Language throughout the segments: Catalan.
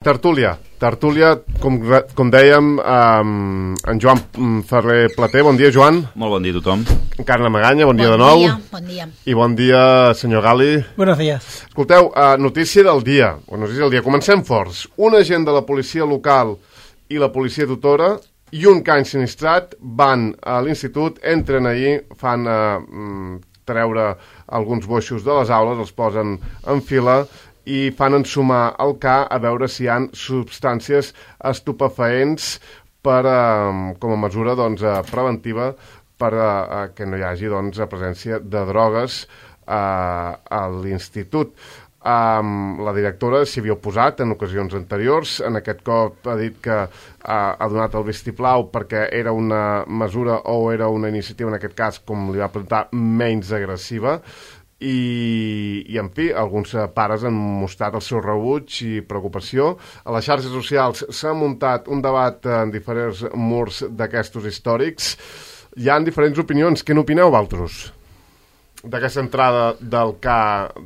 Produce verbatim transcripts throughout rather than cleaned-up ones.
Tertúlia, tertúlia, com, com dèiem, um, en Joan Ferrer Plater. Bon dia, Joan. Molt bon dia a tothom. Carla Maganya, bon, bon dia de nou. Dia, bon dia. I bon dia, senyor Gali. Buenos días. Escolteu, uh, notícia del dia, o notícia del dia. Comencem forts. Un agent de la policia local i la policia tutora i un can sinistrat van a l'institut, entren ahir, fan uh, treure alguns boixos de les aules, els posen en fila i fan ensumar el ca a veure si hi ha substàncies estupefaents per, eh, com a mesura doncs, preventiva per eh, que no hi hagi doncs, presència de drogues eh, a l'institut. Um, la directora s'hi havia oposat en ocasions anteriors. En aquest cop ha dit que uh, ha donat el vistiplau perquè era una mesura o era una iniciativa, en aquest cas, com li va presentar, menys agressiva. I, i en fi, alguns pares han mostrat el seu rebuig i preocupació. A les xarxes socials s'ha muntat un debat en diferents murs d'aquestos històrics. Hi ha diferents opinions. Què n'opineu, vosaltres, d'aquesta entrada del K?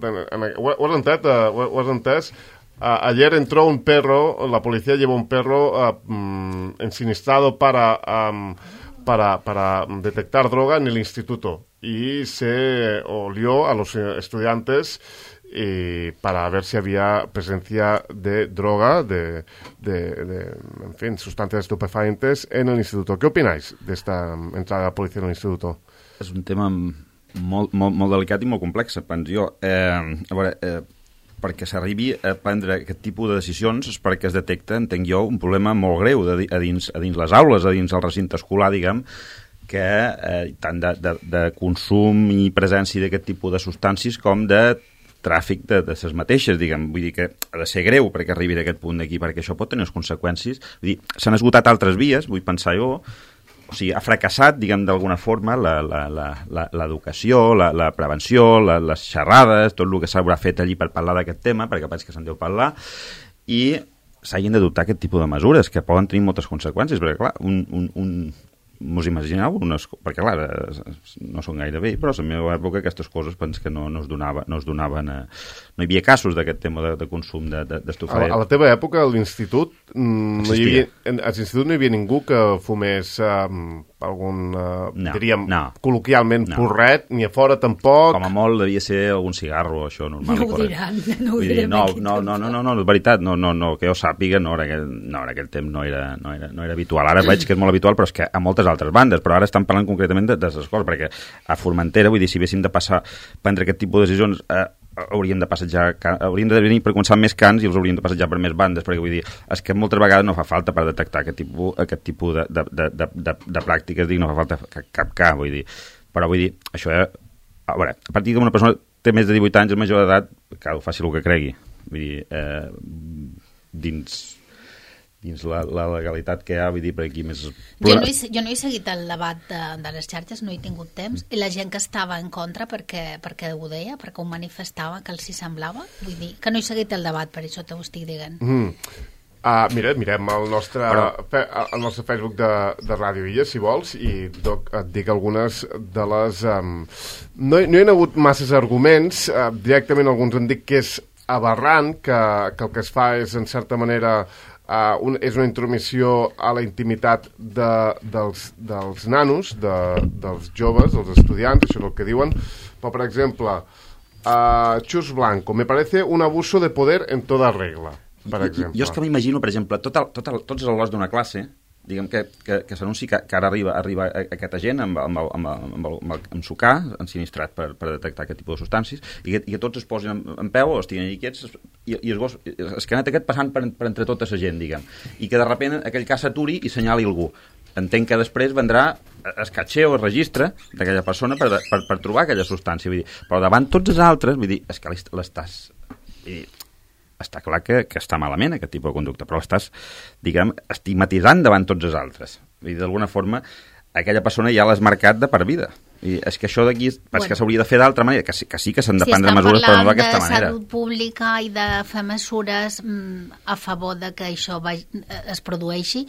De, en, ho, ho has entès? Uh, ho, ho has entès? Uh, ayer entró un perro, la policía lleva un perro uh, um, ensinistrado para, um, para, para detectar droga en el instituto. Y se olió a los estudiantes y para ver si había presencia de droga, de, de, de en fin, sustancias estupefacientes en el instituto. ¿Qué opináis de esta entrada de la policía en el instituto? És un tema molt, molt, molt delicat i molt complex, penso jo. Eh, a veure, eh, perquè s'arribi a prendre aquest tipus de decisions és perquè es detecta, entenc jo, un problema molt greu de, a, dins, a dins les aules, a dins el recinte escolar, diguem, que eh, tant de, de, de consum i presència d'aquest tipus de substàncies com de tràfic de, de les mateixes, diguem. Vull dir que ha de ser greu perquè arribi a aquest punt d'aquí, perquè això pot tenir conseqüències. Vull dir, s'han esgotat altres vies, vull pensar jo, o sigui, ha fracassat, diguem, d'alguna forma, l'educació, la, la, la, la prevenció, la, les xerrades, tot el que s'haurà fet allí per parlar d'aquest tema, perquè penso que se'n deu parlar, i s'hagin d'adoptar aquest tipus de mesures, que poden tenir moltes conseqüències, perquè, clar, un... un, un mos imagineu, unes, perquè clar, no són gaire bé, però a la meva època aquestes coses penso que no, no, es, donava, no es donaven a... no hi havia casos d'aquest tema de, de consum d'estupefaents. A, a la teva època, a l'institut, no hi havia, a l'institut no hi havia ningú que fumés um, algun, uh, no, diríem, no, col·loquialment no. porret, ni a fora tampoc. Com a molt devia ser algun cigarro, això, normal. No ho diran, no ho direm no, aquí. No, no, no, no, no, és veritat, no, no, no, que jo sàpiga, no, en aquell, no, en aquell temps no era, no, era, no era habitual. Ara veig que és molt habitual, però és que a moltes altres bandes, però ara estan parlant concretament de, de les escoles, perquè a Formentera, vull dir, si haguéssim de passar, prendre aquest tipus de decisions, eh, hauríem de passejar, hauríem de venir per començar més cans i els hauríem de passejar per més bandes, perquè vull dir, és que moltes vegades no fa falta per detectar aquest tipus, aquest tipus de, de, de, de, de, de pràctiques, dic, no fa falta cap, cap cas, vull dir, però vull dir, això, eh, a veure, a partir que una persona té més de divuit anys, és major d'edat, que ho faci el que cregui, vull dir, eh, dins... dins la, la legalitat que hi ha, vull dir, per aquí més... Jo no, he, jo no he seguit el debat de, de les xarxes, no he tingut temps, i la gent que estava en contra perquè, perquè ho deia, perquè ho manifestava, que els hi semblava, vull dir, que no he seguit el debat, per això t'ho estic dient. Mm. Uh, mira, mirem el nostre, Però... fe, el nostre Facebook de, de Ràdio Illa, si vols, i doc, et dic algunes de les... Um, no, no hi ha hagut masses arguments, uh, directament alguns han dit que és aberrant, que, que el que es fa és, en certa manera... Uh, un, és una intromissió a la intimitat de, dels, dels nanos, de, dels joves, dels estudiants, això és el que diuen. Però, per exemple, uh, Chus Blanco, me parece un abuso de poder en toda regla, per exemple. Jo és que m'imagino, per exemple, tot el, tot el, tots els alumnes d'una classe, diguem que, que, que s'anunci que, que ara arriba, arriba aquesta gent amb, amb, amb, amb, amb, amb, amb sucar ensinistrat per, per detectar aquest tipus de substàncies i que, i que tots es posin en, en peu o estiguin allà quiets i, i es, gos, es canet aquest passant per, per entre tota la gent, diguem, i que de sobte aquell cas s'aturi i senyali algú. Entenc que després vendrà es catxer o es registre d'aquella persona per, per, per trobar aquella substància, vull dir, però davant tots els altres, vull dir, és que l'estàs... I, està clar que, que està malament aquest tipus de conducta, però l'estàs, diguem, estigmatitzant davant tots els altres. Vull dir, d'alguna forma, aquella persona ja l'has marcat de per vida. I és que això d'aquí, bueno, que s'hauria de fer d'altra manera, que sí, que sí que s'han de prendre si mesures, però no d'aquesta manera. Si estem parlant de salut pública i de fer mesures mm, a favor de que això va, es produeixi,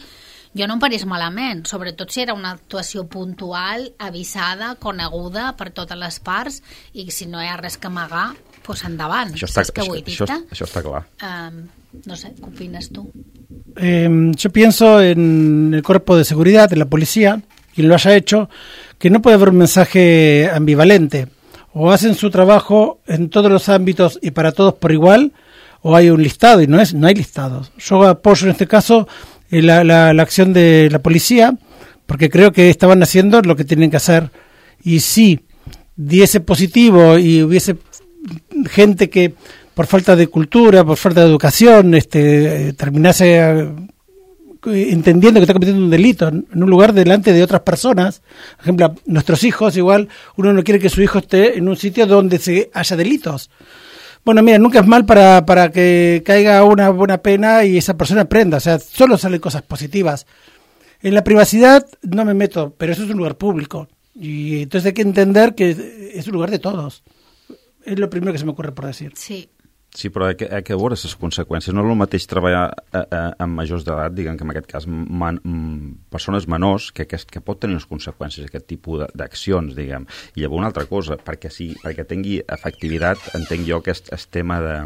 jo no em pareix malament, sobretot si era una actuació puntual, avisada, coneguda per totes les parts, i si no hi ha res que amagar, pues endavant. Això està, ¿Sabes qué voy a això, això, això està clar. Um, no sé, ¿qué opinas tú? Eh, yo pienso en el cuerpo de seguridad, en la policía, quien lo haya hecho, que no puede haber un mensaje ambivalente. O hacen su trabajo en todos los ámbitos y para todos por igual, o hay un listado, y no es no hay listados. Yo apoyo en este caso eh, la, la, la acción de la policía, porque creo que estaban haciendo lo que tienen que hacer. Y si diese positivo y hubiese gente que por falta de cultura, por falta de educación, este, terminase eh, entendiendo que está cometiendo un delito en un lugar delante de otras personas, por ejemplo, nuestros hijos, igual uno no quiere que su hijo esté en un sitio donde se haya delitos. Bueno, mira, nunca es mal para, para que caiga una buena pena y esa persona aprenda, o sea, solo salen cosas positivas. En la privacidad no me meto, pero eso es un lugar público, y entonces hay que entender que es un lugar de todos. És el primer que se m'ocorre per decir. Sí. Sí, però hi ha que veure les conseqüències. No és el mateix treballar a, a, amb majors d'edat, diguem que en aquest cas man, persones menors, que, que, que pot tenir unes conseqüències aquest tipus d'accions, diguem. I llavors una altra cosa, perquè, sí, perquè tingui efectivitat, entenc jo que el, el tema de...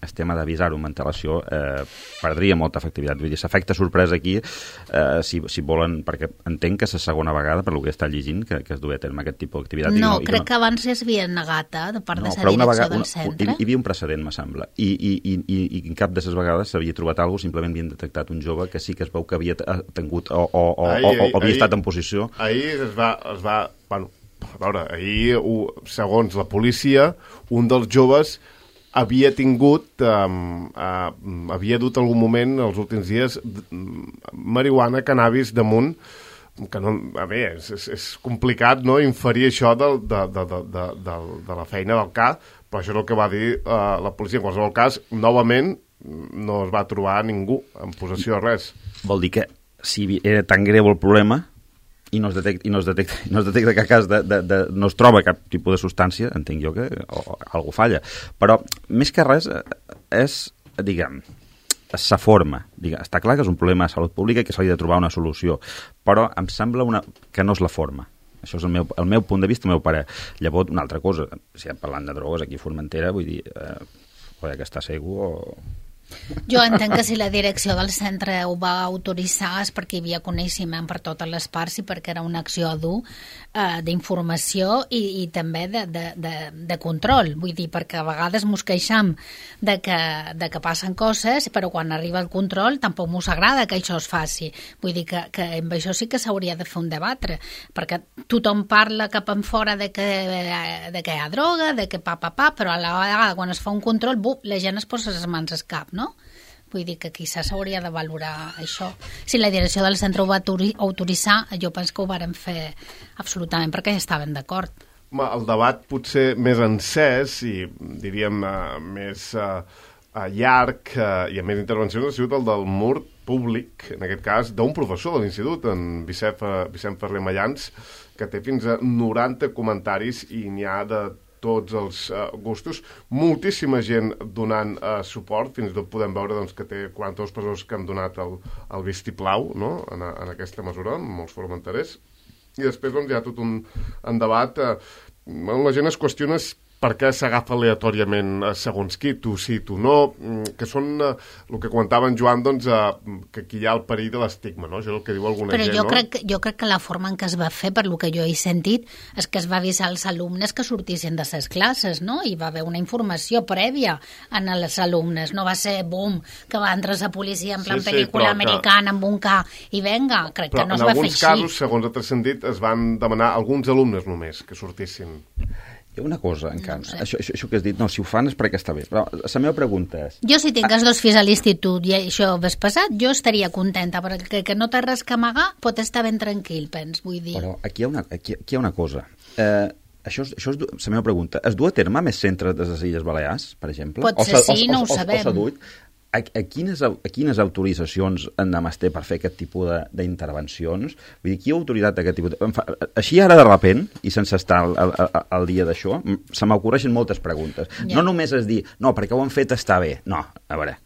el tema d'avisar-ho amb antelació eh, perdria molta efectivitat. Vull dir, s'efecte sorpresa aquí, eh, si, si volen, perquè entenc que és la segona vegada, per lo que he estat llegint, que, que es duia a terme aquest tipus d'activitat. No, no, crec no... que abans es havia negat, eh, de part no, de la direcció vegada, del una, centre. Hi, hi havia un precedent, me sembla, i, i, i, i en cap de les vegades s'havia trobat alguna cosa, simplement havien detectat un jove que sí que es veu que havia tingut o, o, o, ahir, o, o havia ahir, estat en posició. Ahir es va... Es va bueno, a veure, ahir, segons la policia, un dels joves havia tingut, um, uh, havia dut algun moment, els últims dies, marihuana, cannabis damunt, que no, a veure, és, és, és complicat, no?, inferir això de, de, de, de, de, de, de la feina del C A, però això és el que va dir uh, la policia. En qualsevol cas, novament, no es va trobar ningú en possessió de res. Vol dir que si era tan greu el problema i no es detecta, i no es detecta, no es detecta que a cas de, de, de, no es troba cap tipus de substància, entenc jo que o, o, algú falla. Però, més que res, és, diguem, sa forma. Diguem, està clar que és un problema de salut pública i que s'ha de trobar una solució, però em sembla una, que no és la forma. Això és el meu, el meu punt de vista, el meu parer. Llavors, una altra cosa, si parlant de drogues aquí a Formentera, vull dir, eh, poder que està segur o... Jo entenc que si la direcció del centre ho va autoritzar és perquè hi havia coneixement per totes les parts i perquè era una acció a dur eh, d'informació i, i també de, de, de, de control. Vull dir, perquè a vegades mos queixam de que, de que passen coses, però quan arriba el control tampoc mos agrada que això es faci. Vull dir que, que amb això sí que s'hauria de fer un debatre, perquè tothom parla cap en fora de que, de que hi ha droga, de que pa, pa, pa, però a la vegada quan es fa un control, bup, la gent es posa les mans al cap, no? Vull dir que quizás s'hauria de valorar això. Si la direcció del centre ho va autoritzar, jo penso que ho varen fer absolutament perquè ja estaven d'acord. El debat potser més encès i diríem uh, més uh, uh, llarg uh, i amb més intervencions ha sigut el del mur públic, en aquest cas, d'un professor de l'institut, en Vicent, Vicent Ferrer Mallans, que té fins a noranta comentaris i n'hi ha de tots els uh, gustos, moltíssima gent donant uh, suport, fins i tot podem veure doncs, que té quaranta-dues persones que han donat el, el vistiplau, no?, en, en aquesta mesura, molts formenterers, i després doncs, hi ha tot un, un debat, uh, la gent es qüestiona per què s'agafa aleatòriament segons qui, tu sí, tu no, que són uh, el que comentava en Joan, doncs, uh, que aquí hi ha el perill de l'estigma, no? Això és el que diu alguna Però gent, jo no? Crec, jo crec que la forma en què es va fer, per lo que jo he sentit, és que es va avisar als alumnes que sortissin de les classes, no? I va haver una informació prèvia en els alumnes, no va ser, bum, que va entrar la policia en plan sí, sí, pel·lícula que... americana amb un ca i venga, crec però que no es va fer així. Però en alguns casos, segons ha transcendit, es van demanar alguns alumnes només que sortissin. Hi ha una cosa, encara. No sé. això, això, això que has dit, no, si ho fan és perquè està bé. Però la meva pregunta és... Jo, si tinc els dos fills a l'institut i això ves passat, jo estaria contenta, perquè que no té res que amagar pot estar ben tranquil, pens, vull dir. Però aquí hi ha una, aquí, aquí hi ha una cosa. Eh, això és, això és la meva pregunta. Es du a terme més centres de les Illes Balears, per exemple? Pot ser sí, no ho sabem. O s'ha A, a, quines, a quines autoritzacions en es té per fer aquest tipus d'intervencions? Vull dir, qui ha autoritat aquest tipus de... Fa, així ara de repent, i sense estar al, al, al dia d'això, se m'ocorreixen moltes preguntes. Ja. No només és dir, no, perquè ho han fet està bé. No, a veure...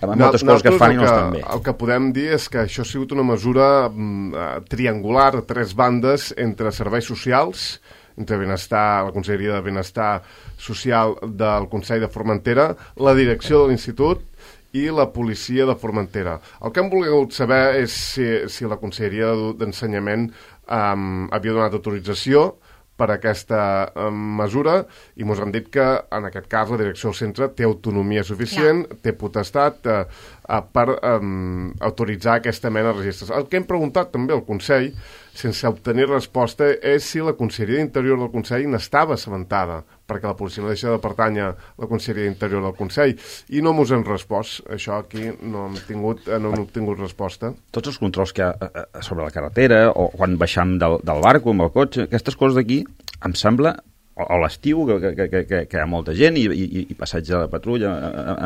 Amb moltes no, coses que es fan i no estan bé. El que podem dir és que això ha sigut una mesura mm, triangular a tres bandes entre serveis socials, entre Benestar, la Conselleria de Benestar Social del Consell de Formentera, la direcció de l'institut i la policia de Formentera. El que hem volgut saber és si, si la Conselleria d'Ensenyament um, havia donat autorització per aquesta um, mesura i ens han dit que en aquest cas la direcció del centre té autonomia suficient, Clar. té potestat uh, uh, per um, autoritzar aquesta mena de registres. El que hem preguntat també al Consell, sense obtenir resposta, és si la Conselleria d'Interior del Consell n'estava assabentada, perquè la policia no deixa de pertànyer a la Conselleria d'Interior del Consell, i no mos hem respost. Això aquí no hem tingut, no hem obtingut resposta. Tots els controls que hi ha sobre la carretera, o quan baixam del, del barco amb el cotxe, aquestes coses d'aquí, em sembla, o, o l'estiu, que, que, que, que hi ha molta gent, i, i, i passatge de la patrulla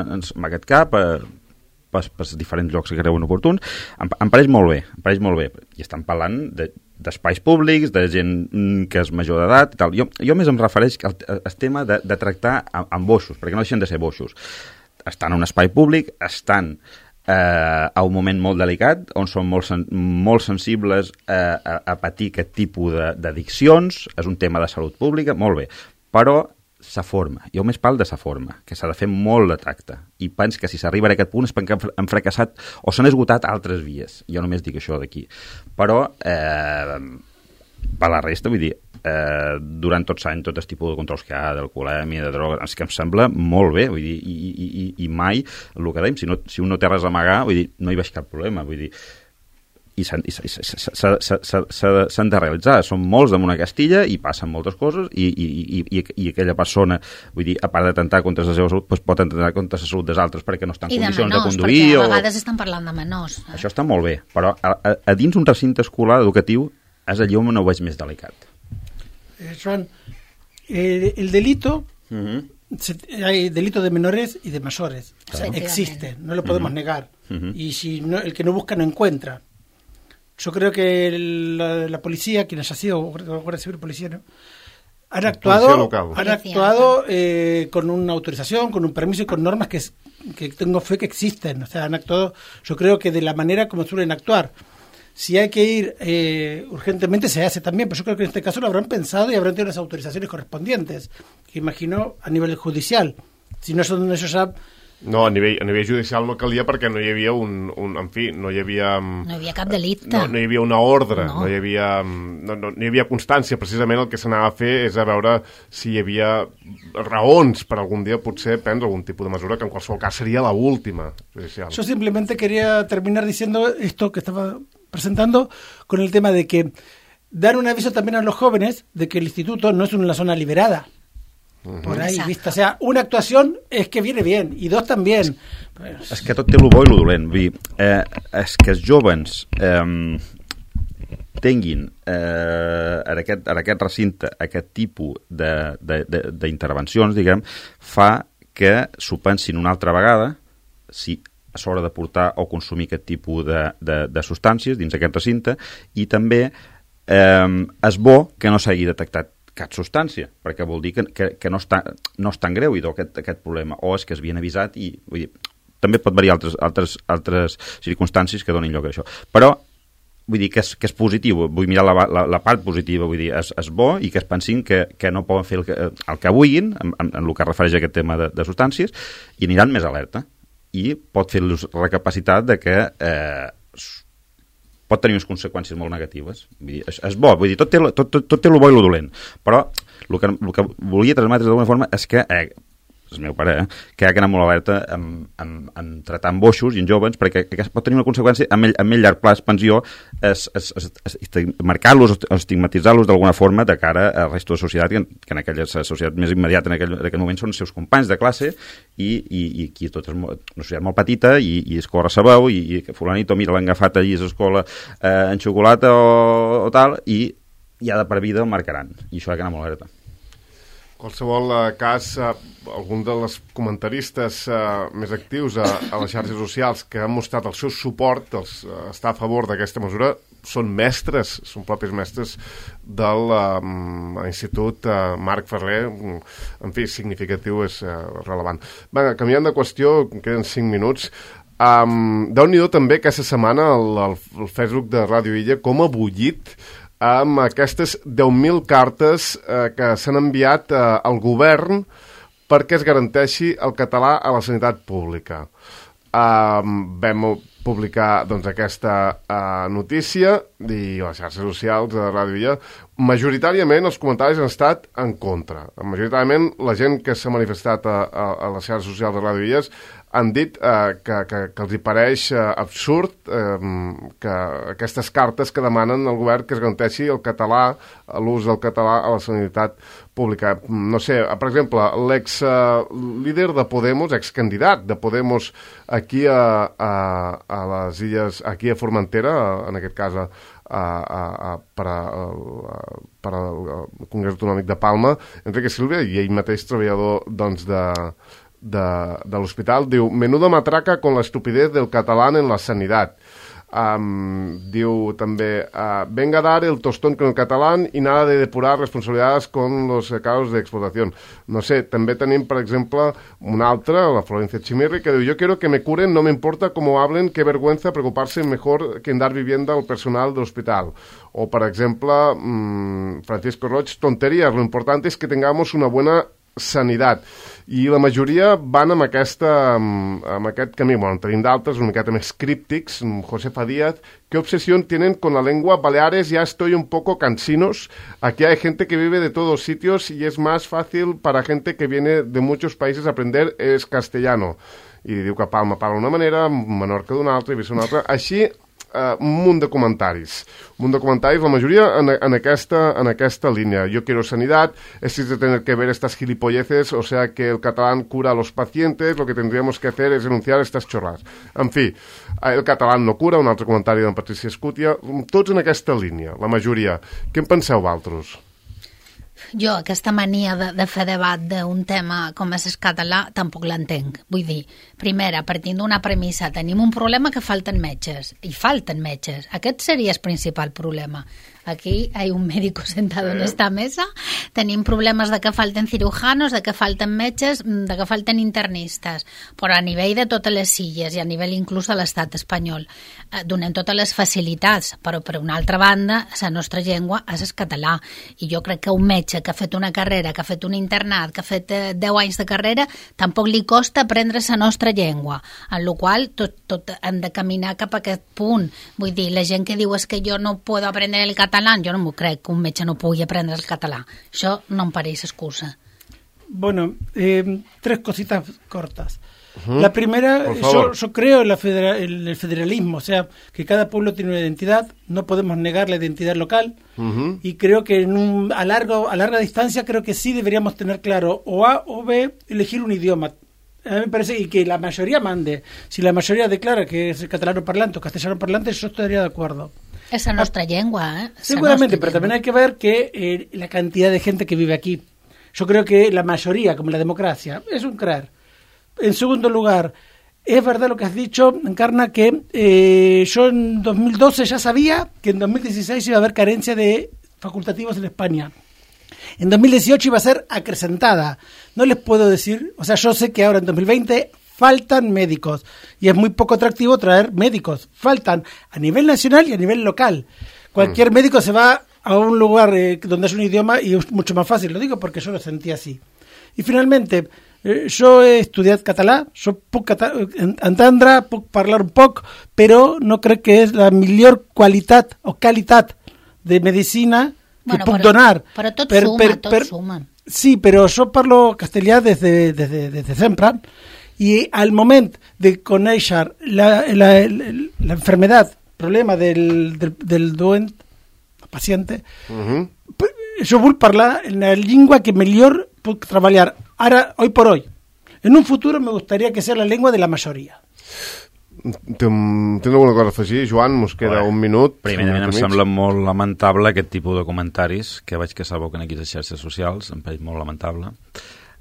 en, en aquest cap, eh, per, per diferents llocs que creuen oportuns, em, em pareix molt bé, em pareix molt bé. I estan parlant de, d'espais públics, de gent que és major d'edat i tal. Jo, jo més em refereix al, al tema de, de tractar amb, amb boixos, perquè no deixen de ser boixos. Estan en un espai públic, estan eh, a un moment molt delicat, on són molt, sen molt sensibles eh, a, a patir aquest tipus d'addiccions, és un tema de salut pública, molt bé, però sa forma, jo més parlo de sa forma, que s'ha de fer molt de tracte, i penso que si s'arriba a aquest punt és perquè han fracassat o s'han esgotat altres vies, jo només dic això d'aquí, però eh, per la resta, vull dir, eh, durant tots anys, tot el tipus de controls que hi ha, d'alcoholèmia, de droga, és que em sembla molt bé, vull dir, i, i, i, i mai, el que dèiem, si, no, si un no té res a amagar, vull dir, no hi veig cap problema, vull dir, i s'han de realitzar. Són molts damunt una Castilla i passen moltes coses i, i, i, i aquella persona, vull dir, a part d'atentar contra la seva salut, doncs pot atentar contra la salut dels altres perquè no estan en condicions de, menors, de conduir. I de menors, perquè a vegades o... estan parlant de menors. Eh? Això està molt bé, però a, a, a dins un recinte escolar educatiu és allò on ho veig més delicat. Eh, Joan, eh, el delito... Uh-huh. Se, hay delito de menores y de mayores. O sea, existe, no lo podemos uh-huh. negar. Uh-huh. Y si no, el que no busca no encuentra. Yo creo que la, la policía, quien haya sido Guardia Civil, policía, ¿no? han actuado, han actuado eh, con una autorización, con un permiso y con normas que, que tengo fe que existen. O sea, han actuado, yo creo que de la manera como suelen actuar. Si hay que ir eh, urgentemente, se hace también, pero yo creo que en este caso lo habrán pensado y habrán tenido las autorizaciones correspondientes, que imagino a nivel judicial. Si no son ellos ya... No, a nivell, a nivell judicial no calia perquè no hi havia un... un en fi, no hi havia... No hi havia cap delicte. No, no hi havia una ordre, no, no, hi, havia, no, no, no hi havia constància. Precisament el que s'anava a fer és a veure si hi havia raons per algun dia potser prendre algun tipus de mesura, que en qualsevol cas seria la última judicial. Yo simplemente quería terminar diciendo esto que estaba presentando con el tema de que dar un aviso también a los jóvenes de que el instituto no es una zona liberada. Por ahí, vista. O sea, una actuación es que viene bien, i dos també. És, és que tot té lo bo i lo dolent. Vull dir, eh, és que els jóvens eh, tinguin eh, en, aquest, en aquest recinte aquest tipus d'intervencions, diguem, fa que s'ho pensin una altra vegada si a l'hora de portar o consumir aquest tipus de, de, de substàncies dins aquest recinte, i també eh, és bo que no s'hagi detectat cap substància, perquè vol dir que, que, que no, està, no és tan greu i aquest, aquest problema, o és que es havien avisat i vull dir, també pot variar altres, altres, altres circumstàncies que donin lloc a això. Però vull dir que és, que és positiu, vull mirar la, la, la part positiva, vull dir, és, és bo i que es pensin que, que no poden fer el que, el que vulguin en, en, en el que refereix a aquest tema de, de substàncies, i aniran més alerta i pot fer-los recapacitar de que eh, pot tenir unes conseqüències molt negatives. Vull dir, és, és bo, vull dir, tot té, tot, tot, tot té el bo i el dolent, però el que, el que volia transmetre d'alguna forma és que, eh, és el meu pare, eh, que ha d'anar molt alerta en, en, en tratar amb boixos i en jóvens, perquè que pot tenir una conseqüència a mell, a mell llarg plaç, pensió, és, és, és, és marcar-los, estigmatitzar-los d'alguna forma de cara al resto de societat, que, que en aquella societat més immediata en aquell, en aquell moment són els seus companys de classe, i, i, i aquí tot és molt, una societat molt petita, i, i es corre sa veu, i, i fulanito, mira, l'han agafat allí a l'escola eh, en xocolata o, o tal, i ja de per vida el marcaran, i això ha d'anar molt alerta. Qualsevol eh, cas, eh, algun dels comentaristes eh, més actius a, a les xarxes socials que han mostrat el seu suport, els, eh, estar a favor d'aquesta mesura, són mestres, són propis mestres del eh, Institut eh, Marc Ferrer. En fi, significatiu, és eh, rellevant. Va, canviant de qüestió, queden cinc minuts. Um, Déu-n'hi-do també aquesta setmana el, el, el Facebook de Ràdio Illa com ha bullit amb aquestes deu mil cartes eh, que s'han enviat eh, al govern perquè es garanteixi el català a la sanitat pública. Uh, vam publicar doncs, aquesta uh, notícia i a les xarxes socials de Ràdio Illa. Majoritàriament els comentaris han estat en contra. Majoritàriament la gent que s'ha manifestat a, a, a les xarxes socials de Ràdio Illes han dit eh, que, que, que els hi pareix eh, absurd eh, que aquestes cartes que demanen al govern que es garanteixi el català, l'ús del català a la sanitat pública. No sé, per exemple, l'ex-líder de Podemos, excandidat de Podemos aquí a, a, a les illes, aquí a Formentera, en aquest cas a, a, a, per, a, a, per al Congrés Autonòmic de Palma, Enrique Silva, i ell mateix treballador doncs, de... de, de l'hospital, diu, menuda matraca con la estupidez del catalán en la sanidad. Um, diu també, uh, venga a dar el tostón con el catalán y nada de depurar responsabilidades con los casos de explotación. No sé, també tenim, per exemple, una altra, la Florencia Chimirri, que diu, yo quiero que me curen, no me importa cómo hablen, qué vergüenza preocuparse mejor que en dar vivienda al personal del hospital. O, per exemple, um, Francisco Roig, tonterías, lo importante es que tengamos una buena sanitat. I la majoria van amb, aquesta, amb aquest camí. Bueno, tenim d'altres, una miqueta més críptics. Josefa Díaz, ¿qué obsesión tienen con la lengua? Baleares, ya estoy un poco cansinos. Aquí hay gente que vive de todos sitios y es más fácil para gente que viene de muchos países aprender es castellano. I diu que Palma parla d'una manera, Menorca d'una altra i Eivissa d'una altra. Així, Uh, un munt de comentaris. Un munt de comentaris, la majoria en, en, aquesta, en aquesta línia. Yo quiero sanidad, es de tener que ver estas gilipolleces, o sea que el catalán cura a los pacientes, lo que tendríamos que hacer es denunciar estas chorras. En fi, el catalán no cura, un altre comentari d'en Patricia Escutia, tots en aquesta línia, la majoria. Què en penseu, vosaltres? Jo, aquesta mania de, de fer debat d'un tema com és el català, tampoc l'entenc. Vull dir, primera, partint d'una premissa, tenim un problema que falten metges, i falten metges. Aquest seria el principal problema. Aquí hay un médico sentado en esta mesa, tenim problemes de que falten cirujanos, de que falten metges, de que falten internistes, però a nivell de totes les illes i a nivell inclús de l'estat espanyol. Eh, donem totes les facilitats, però per una altra banda, la nostra llengua és el català, i jo crec que un metge que ha fet una carrera, que ha fet un internat, que ha fet eh, deu anys de carrera, tampoc li costa aprendre la nostra llengua, en la qual tot, tot hem de caminar cap a aquest punt. Vull dir, la gent que diu és que jo no puedo aprender el català, jo no m'ho crec que un metge no pugui aprendre el català. Això no em pareix excusa. Bueno, eh, tres cositas cortas. Uh-huh. La primera, yo, yo creo en, la federa, en el federalismo, o sea, que cada pueblo tiene una identidad, no podemos negar la identidad local, uh-huh. y creo que en un, a, largo, a larga distancia creo que sí deberíamos tener claro o A o B, elegir un idioma. A mí me parece y que la mayoría mande. Si la mayoría declara que es catalano parlante o castellano parlante, yo estaría de acuerdo. Esa es nuestra lengua, ¿eh? Esa Seguramente, pero también hay que ver que eh, la cantidad de gente que vive aquí. Yo creo que la mayoría, como la democracia, es un creer. En segundo lugar, es verdad lo que has dicho, Encarna, que eh, yo en dos mil doce ya sabía que en dos mil dieciséis iba a haber carencia de facultativos en España. En dos mil dieciocho iba a ser acrecentada. No les puedo decir, o sea, yo sé que ahora en dos mil veinte faltan médicos y es muy poco atractivo traer médicos. Faltan a nivel nacional y a nivel local. Cualquier mm. médico se va a un lugar eh, donde es un idioma y es mucho más fácil. Lo digo porque yo lo sentí así. Y finalmente, eh, yo he estudiado català, yo puc cata entendre, puc parlar un poc, però no crec que és la millor qualitat o qualitat de medicina que bueno, puc però, donar. Però tot per, suma, per, tot per, suma. Sí, però jo parlo castellà des de, des de, des de sempre, y al moment de conèixer la, la, la, la enfermedad, problema del, del, del doent, paciente, uh-huh. jo vull parlar en la llengua que millor puc treballar. Ara, hoy por hoy. En un futuro me gustaría que sea la lengua de la mayoría. Tens alguna cosa a afegir, Joan? Mos queda bueno, un minut. Primerament, em sembla molt lamentable aquest tipus de comentaris que veig que s'aboquen aquí a les xarxes socials, em pareix molt lamentable.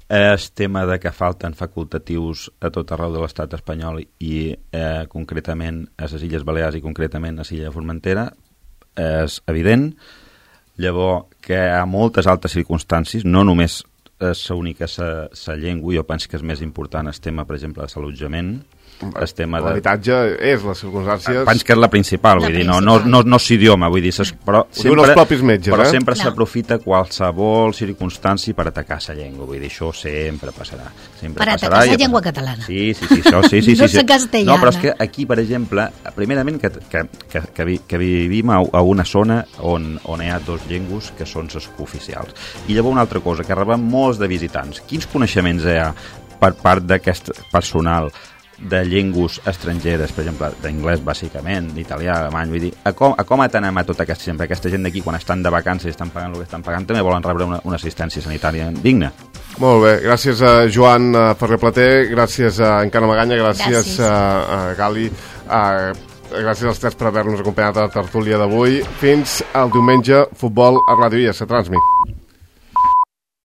El tema de que falten facultatius a tot arreu de l'estat espanyol i eh, concretament a les Illes Balears i concretament a l'illa de Formentera és evident. Llavors, que hi ha moltes altres circumstàncies, no només és l'única la llengua, jo penso que és més important el tema, per exemple, de l'allotjament. el tema de... L'habitatge és les circumstàncies... Penso que és la principal, la vull principal. dir, no, no, no, no és idioma, vull dir, ses, però Ho diuen els propis metges, però eh? sempre No. s'aprofita qualsevol circumstància per atacar la llengua, vull dir, això sempre passarà. Sempre Per passarà atacar i la llengua passarà. catalana. Sí, sí, sí, això, sí, sí, No sí, sí. la castellana. No, però és que aquí, per exemple, primerament que, que, que, que, vi, que vivim a, a una zona on, on hi ha dos llengües que són les cooficials. I llavors una altra cosa, que rebem molts de visitants. Quins coneixements hi ha per part d'aquest personal de llengües estrangeres, per exemple, d'anglès bàsicament, d'italià, alemany, vull dir, a com, a com atenem a tota aquesta gent? Perquè aquesta gent d'aquí, quan estan de vacances i estan pagant el que estan pagant, també volen rebre una, una assistència sanitària digna. Molt bé, gràcies a Joan uh, Ferrer Plater, gràcies a Encarna Maganya, gràcies, Gràcies. a, a Gali, a, gràcies als tres per haver-nos acompanyat a la tertúlia d'avui. Fins al diumenge, futbol a Ràdio I S, Transmit.